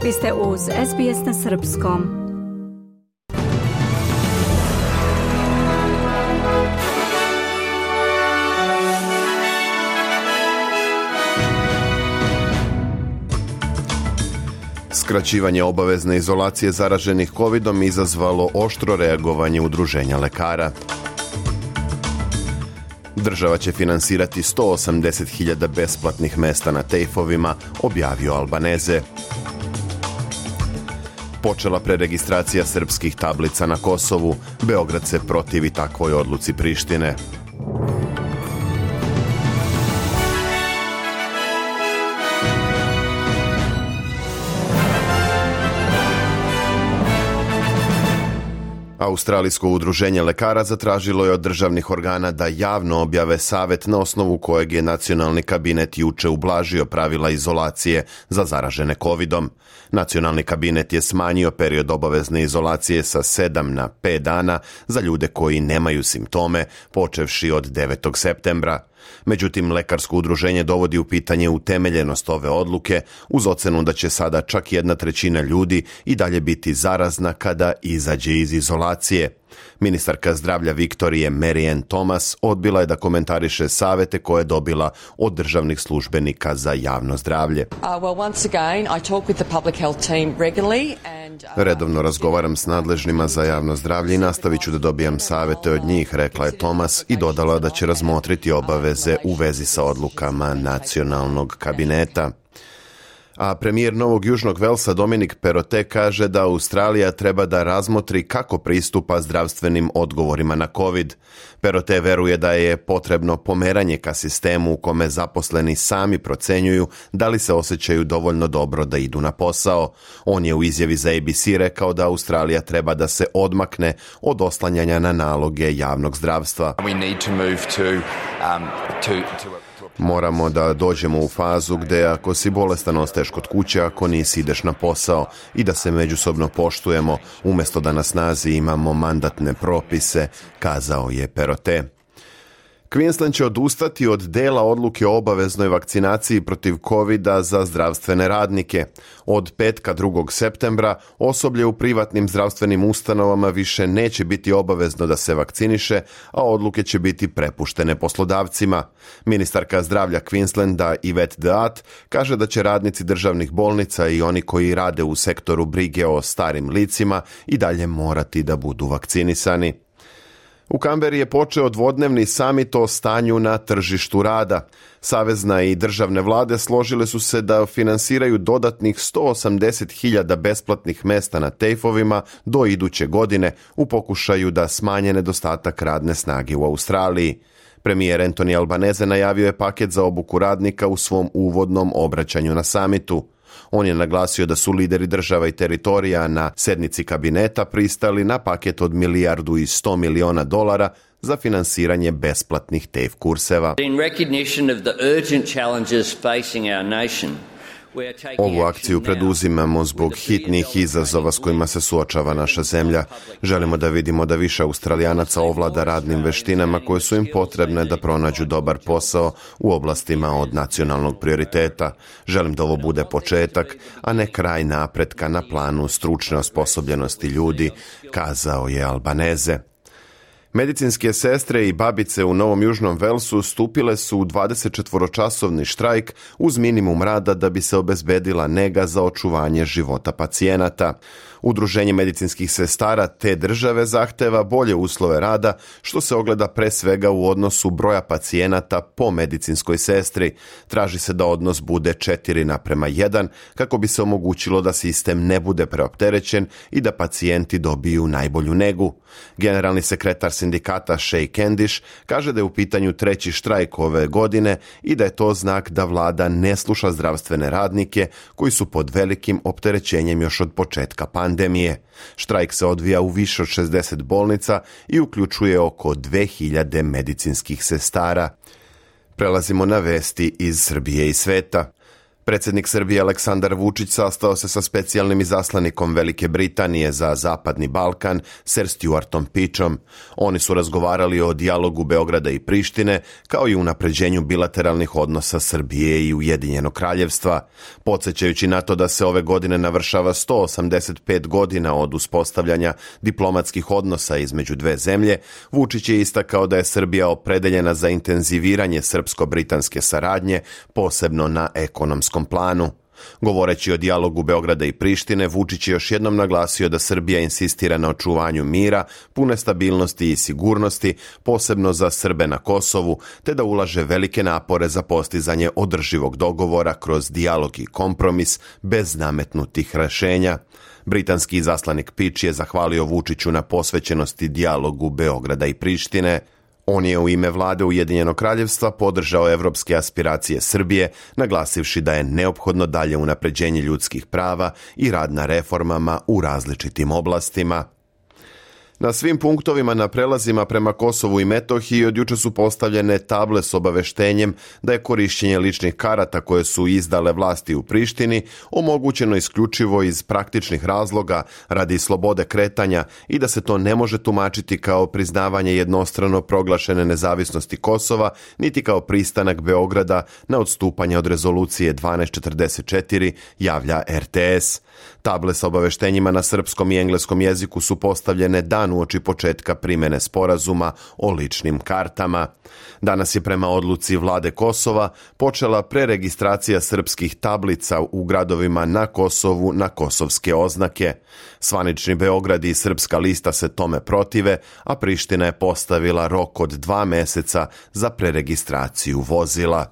Vi ste uz SBS na srpskom. Skraćivanje obavezne izolacije zaraženih covidom izazvalo oštro reagovanje udruženja lekara. Država će finansirati 180.000 besplatnih mesta na tejfovima, objavio Albanese. Počela preregistracija srpskih tablica na Kosovu. Beograd se protivi takvoj odluci Prištine. Australijsko udruženje lekara zatražilo je od državnih organa da javno objave savet na osnovu kojeg je nacionalni kabinet juče ublažio pravila izolacije za zaražene covidom. Nacionalni kabinet je smanjio period obavezne izolacije sa 7 na 5 dana za ljude koji nemaju simptome, počevši od 9. septembra. Međutim, lekarsko udruženje dovodi u pitanje utemeljenost ove odluke uz ocenu da će sada čak 1/3 ljudi i dalje biti zarazna kada izađe iz izolacije. Ministarka zdravlja Viktorije Mary-Ann Thomas odbila je da komentariše savete koje je dobila od državnih službenika za javno zdravlje. Redovno razgovaram s nadležnima za javno zdravlje i nastavit ću da dobijam savete od njih, rekla je Thomas i dodala da će razmotriti obaveze u vezi sa odlukama nacionalnog kabineta. A premijer Novog Južnog Velsa Dominic Perrottet kaže da Australija treba da razmotri kako pristupa zdravstvenim odgovorima na COVID. Perrottet veruje da je potrebno pomeranje ka sistemu u kome zaposleni sami procenjuju da li se osjećaju dovoljno dobro da idu na posao. On je u izjavi za ABC rekao da Australija treba da se odmakne od oslanjanja na naloge javnog zdravstva. Moramo da dođemo u fazu gdje ako si bolestan ostaješ kod kuće, ako nisi ideš na posao i da se međusobno poštujemo umjesto da na snazi imamo mandatne propise, kazao je Perrottet. Queensland će odustati od dela odluke o obaveznoj vakcinaciji protiv covida za zdravstvene radnike. Od petka 2. septembra osoblje u privatnim zdravstvenim ustanovama više neće biti obavezno da se vakciniše, a odluke će biti prepuštene poslodavcima. Ministarka zdravlja Queenslanda Yvette Deat kaže da će radnici državnih bolnica i oni koji rade u sektoru brige o starim licima i dalje morati da budu vakcinisani. U Kamberi je počeo dvodnevni samit o stanju na tržištu rada. Savezna i državne vlade složile su se da finansiraju dodatnih 180.000 besplatnih mesta na tejfovima do iduće godine u pokušaju da smanje nedostatak radne snage u Australiji. Premijer Anthony Albanese najavio je paket za obuku radnika u svom uvodnom obraćanju na samitu. On je naglasio da su lideri država i teritorija na sednici kabineta pristali na paket od $1,1 milijardi za finansiranje besplatnih TAFE kurseva. Ovu akciju preduzimamo zbog hitnih izazova s kojima se suočava naša zemlja. Želimo da vidimo da više Australijanaca ovlada radnim veštinama koje su im potrebne da pronađu dobar posao u oblastima od nacionalnog prioriteta. Želim da ovo bude početak, a ne kraj napretka na planu stručne osposobljenosti ljudi, kazao je Albanese. Medicinske sestre i babice u Novom Južnom Velsu stupile su u 24-časovni štrajk uz minimum rada da bi se obezbedila nega za očuvanje života pacijenata. Udruženje medicinskih sestara te države zahteva bolje uslove rada, što se ogleda pre svega u odnosu broja pacijenata po medicinskoj sestri. Traži se da odnos bude 4:1 kako bi se omogućilo da sistem ne bude preopterećen i da pacijenti dobiju najbolju negu. Generalni sekretar sindikata Shay Candish kaže da je u pitanju 3. štrajk ove godine i da je to znak da vlada ne sluša zdravstvene radnike koji su pod velikim opterećenjem još od početka pandemije. Štrajk se odvija u više od 60 bolnica i uključuje oko 2000 medicinskih sestara. Prelazimo na vesti iz Srbije i sveta. Predsjednik Srbije Aleksandar Vučić sastao se sa specijalnim izaslanikom Velike Britanije za Zapadni Balkan, Sir Stuartom Peachom. Oni su razgovarali o dijalogu Beograda i Prištine, kao i unapređenju bilateralnih odnosa Srbije i Ujedinjenog Kraljevstva. Podsjećajući na to da se ove godine navršava 185 godina od uspostavljanja diplomatskih odnosa između dve zemlje, Vučić je istakao da je Srbija opredeljena za intenziviranje srpsko-britanske saradnje, posebno na ekonomskom planu. Govoreći o dijalogu Beograda i Prištine, Vučić je još jednom naglasio da Srbija insistira na očuvanju mira, pune stabilnosti i sigurnosti, posebno za Srbe na Kosovu, te da ulaže velike napore za postizanje održivog dogovora kroz dijalog i kompromis bez nametnutih rješenja. Britanski izaslanik Peach je zahvalio Vučiću na posvećenosti dijalogu Beograda i Prištine. On je u ime vlade Ujedinjenog Kraljevstva podržao evropske aspiracije Srbije, naglasivši da je neophodno dalje unapređenje ljudskih prava i rad na reformama u različitim oblastima. Na svim punktovima na prelazima prema Kosovu i Metohiji od jučer su postavljene table s obaveštenjem da je korišćenje ličnih karata koje su izdale vlasti u Prištini omogućeno isključivo iz praktičnih razloga radi slobode kretanja i da se to ne može tumačiti kao priznavanje jednostrano proglašene nezavisnosti Kosova, niti kao pristanak Beograda na odstupanje od rezolucije 1244, javlja RTS. Table sa obaveštenjima na srpskom i engleskom jeziku su postavljene dan uoči početka primjene sporazuma o ličnim kartama. Danas je prema odluci vlade Kosova počela preregistracija srpskih tablica u gradovima na Kosovu na kosovske oznake. Zvanični Beograd i Srpska lista se tome protive, a Priština je postavila rok od 2 mjeseca za preregistraciju vozila.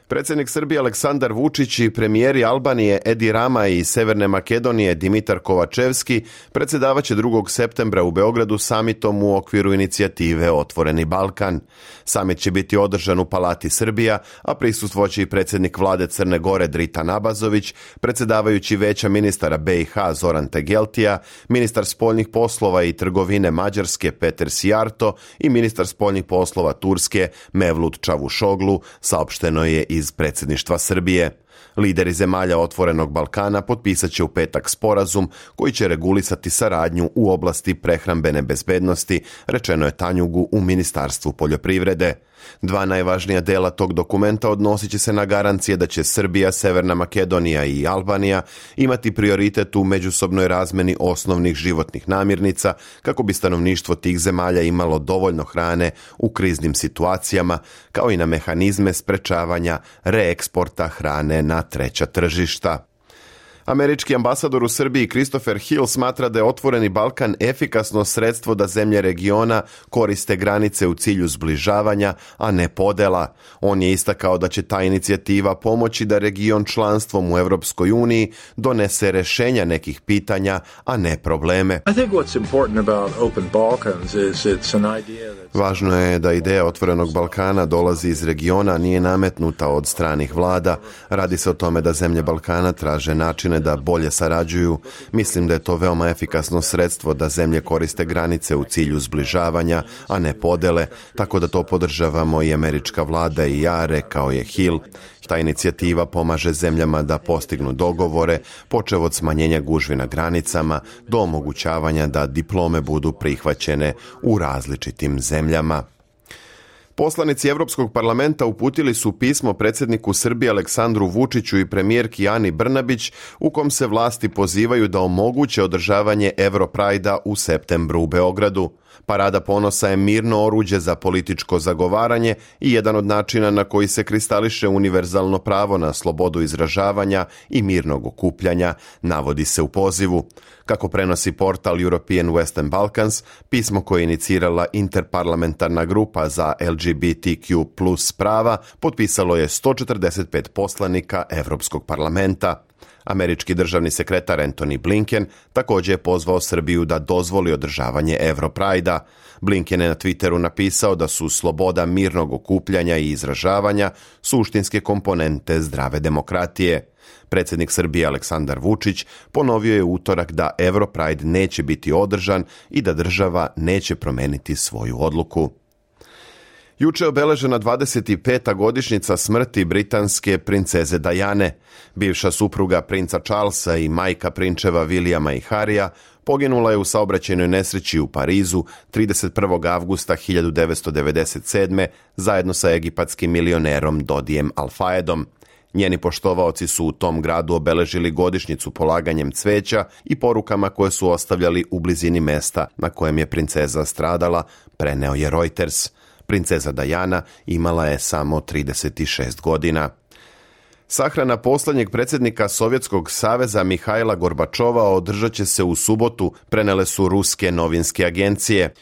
Predsjednik Srbije Aleksandar Vučić i premijeri Albanije Edi Rama i Severne Makedonije Dimitar Kovačevski predsjedavaće 2. septembra u Beogradu samitom u okviru inicijative Otvoreni Balkan. Samit će biti održan u Palati Srbija, a prisustvovat i predsjednik vlade Crne Gore Dritan Abazović, predsjedavajući Veća ministara BiH Zoran Tegeltija, ministar spoljnih poslova i trgovine Mađarske Peter Sijarto i ministar spoljnih poslova Turske Mevlut Čavušoglu, saopšteno je iz predsjedništva Srbije. Lideri zemalja Otvorenog Balkana potpisat će u petak sporazum koji će regulisati saradnju u oblasti prehrambene bezbednosti, rečeno je Tanjugu u Ministarstvu poljoprivrede. 2 najvažnija dela tog dokumenta odnosit će se na garancije da će Srbija, Severna Makedonija i Albanija imati prioritet u međusobnoj razmeni osnovnih životnih namirnica kako bi stanovništvo tih zemalja imalo dovoljno hrane u kriznim situacijama, kao i na mehanizme sprečavanja reeksporta hrane na treća tržišta. Američki ambasador u Srbiji Christopher Hill smatra da je Otvoreni Balkan efikasno sredstvo da zemlje regiona koriste granice u cilju zbližavanja, a ne podela. On je istakao da će ta inicijativa pomoći da region članstvom u Europskoj uniji donese rješenja nekih pitanja, a ne probleme. Važno je da ideja Otvorenog Balkana dolazi iz regiona, nije nametnuta od stranih vlada. Radi se o tome da zemlje Balkana traže načine da bolje sarađuju. Mislim da je to veoma efikasno sredstvo da zemlje koriste granice u cilju zbližavanja, a ne podele, tako da to podržavamo i američka vlada i ja, rekao je Hill. Ta inicijativa pomaže zemljama da postignu dogovore, počev od smanjenja gužvi na granicama do omogućavanja da diplome budu prihvaćene u različitim zemljama. Poslanici Europskog parlamenta uputili su pismo predsjedniku Srbije Aleksandru Vučiću i premijerki Ani Brnabić u kom se vlasti pozivaju da omoguće održavanje Europrajda u septembru u Beogradu. Parada ponosa je mirno oruđe za političko zagovaranje i jedan od načina na koji se kristališe univerzalno pravo na slobodu izražavanja i mirnog okupljanja, navodi se u pozivu. Kako prenosi portal European Western Balkans, pismo koje je inicirala interparlamentarna grupa za LGBTQ+ prava potpisalo je 145 poslanika Europskog parlamenta. Američki državni sekretar Antony Blinken također je pozvao Srbiju da dozvoli održavanje Europrajda. Blinken je na Twitteru napisao da su sloboda mirnog okupljanja i izražavanja suštinske komponente zdrave demokratije. Predsjednik Srbije Aleksandar Vučić ponovio je u utorak da Europride neće biti održan i da država neće promijeniti svoju odluku. Juče je obeležena 25. godišnjica smrti britanske princeze Diane. Bivša supruga princa Charlesa i majka prinčeva Williama i Harrya poginula je u saobraćajnoj nesreći u Parizu 31. avgusta 1997. zajedno sa egipatskim milionerom Dodijem Al-Fayedom. Njeni poštovaoci su u tom gradu obeležili godišnjicu polaganjem cveća i porukama koje su ostavljali u blizini mesta na kojem je princeza stradala, preneo je Reuters. Princeza Diana imala je samo 36 godina. Sahrana posljednjeg predsjednika Sovjetskog saveza Mihajla Gorbačova održat će se u subotu, prenele su ruske novinske agencije.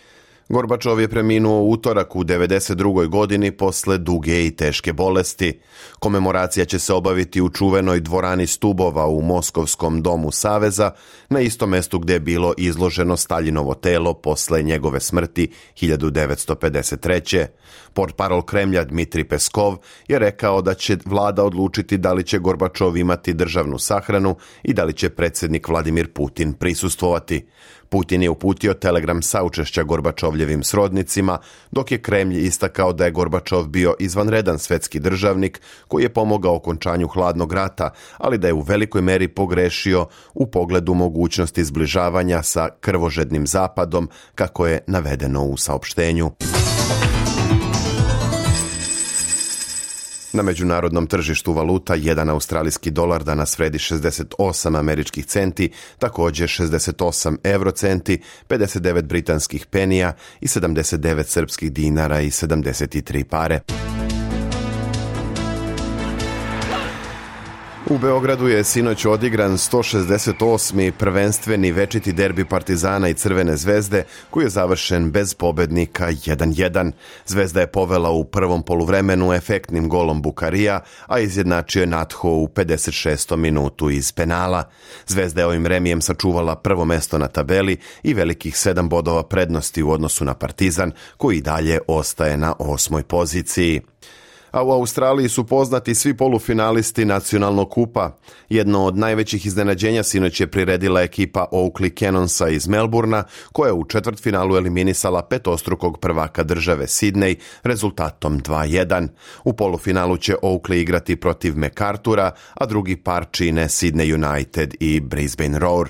Gorbačov je preminuo u utorak u 92. godini posle duge i teške bolesti. Komemoracija će se obaviti u čuvenoj dvorani Stubova u Moskovskom domu Saveza, na istom mestu gdje je bilo izloženo Staljinovo telo posle njegove smrti 1953. Portparol Kremlja Dmitrij Peskov je rekao da će vlada odlučiti da li će Gorbačov imati državnu sahranu i da li će predsjednik Vladimir Putin prisustvovati. Putin je uputio telegram saučešća Gorbačovljevim srodnicima, dok je Kremlj istakao da je Gorbačov bio izvanredan svetski državnik koji je pomogao okončanju hladnog rata, ali da je u velikoj meri pogrešio u pogledu mogućnosti zbližavanja sa krvožednim zapadom, kako je navedeno u saopštenju. Na međunarodnom tržištu valuta jedan australijski dolar danas vredi 68 američkih centi, također 68 eurocenti, 59 britanskih penija i 79 srpskih dinara i 73 pare. U Beogradu je sinoć odigran 168. prvenstveni večiti derbi Partizana i Crvene zvezde, koji je završen bez pobednika 1:1. Zvezda je povela u prvom poluvremenu efektnim golom Bukarija, a izjednačio je Natho u 56. minutu iz penala. Zvezda je ovim remijem sačuvala prvo mesto na tabeli i velikih 7 bodova prednosti u odnosu na Partizan, koji i dalje ostaje na 8. poziciji. A u Australiji su poznati svi polufinalisti nacionalnog kupa. Jedno od najvećih iznenađenja sinoć je priredila ekipa Oakley Cannonsa iz Melbourna, koja je u četvrtfinalu eliminisala petostrukog prvaka države Sydney rezultatom 2:1. U polufinalu će Oakley igrati protiv MacArthura, a drugi par čine Sydney United i Brisbane Roar.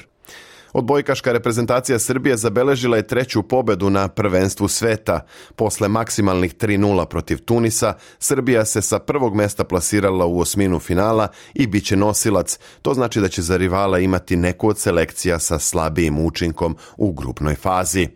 Odbojkaška reprezentacija Srbije zabeležila je 3. pobedu na prvenstvu sveta. Posle maksimalnih 3:0 protiv Tunisa, Srbija se sa prvog mesta plasirala u osminu finala i bit će nosilac. To znači da će za rivala imati neku od selekcija sa slabijim učinkom u grupnoj fazi.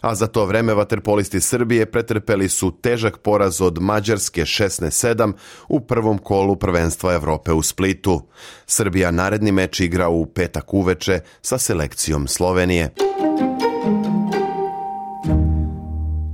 A za to vreme vaterpolisti Srbije pretrpeli su težak poraz od Mađarske 16:7 u prvom kolu prvenstva Evrope u Splitu. Srbija naredni meč igra u petak uveče sa selekcijom Slovenije.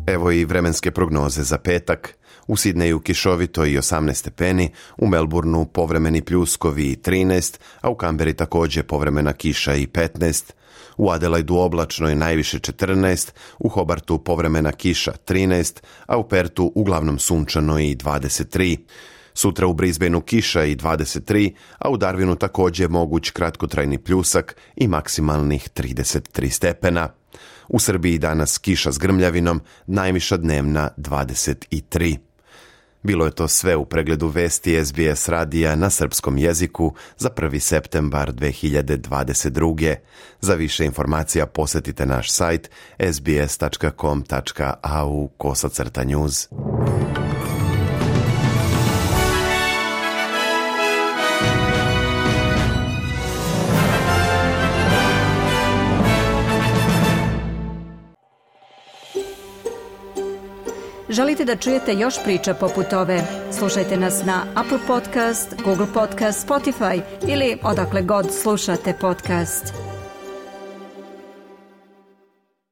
Evo i vremenske prognoze za petak. U Sidneju kišovito i 18 stepeni, u Melbourneu povremeni pljuskovi i 13, a u Kamberi također povremena kiša i 15. U Adelaidu oblačno i najviše 14, u Hobartu povremena kiša 13, a u Pertu uglavnom sunčano i 23. Sutra u Brisbaneu kiša i 23, a u Darwinu također moguć kratkotrajni pljusak i maksimalnih 33 stepena. U Srbiji danas kiša s grmljavinom, najviša dnevna 23. Bilo je to sve u pregledu vesti SBS radija na srpskom jeziku za 1. septembar 2022. Za više informacija posjetite naš sajt sbs.com.au/news. Želite da čujete još priča poput ove? Slušajte nas na Apple Podcast, Google Podcast, Spotify ili odakle god slušate podcast.